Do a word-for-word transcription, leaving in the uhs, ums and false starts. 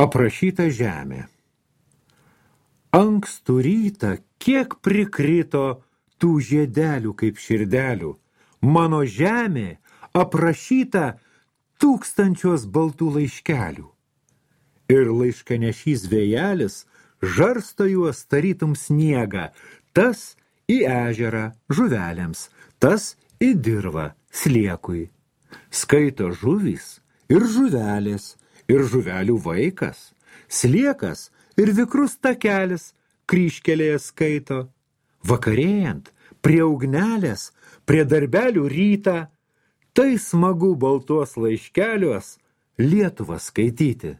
Aprašyta žemė. Ankstų rytą kiek prikrito tų žiedelių kaip širdelių. Mano žemė aprašyta tūkstančios baltų laiškelių. Ir laiškanešys vėjelis žarsto juos tarytum sniegą, tas į ežerą žuvelėms, tas į dirvą sliekui. Skaito žuvys ir žuvelės, ir žuvelių vaikas, sliekas ir vikrus takelis kryžkelėje skaito. Vakarėjant, prie ugnelės, prie darbelių rytą, tai smagu baltuos laiškeliuos Lietuvą skaityti.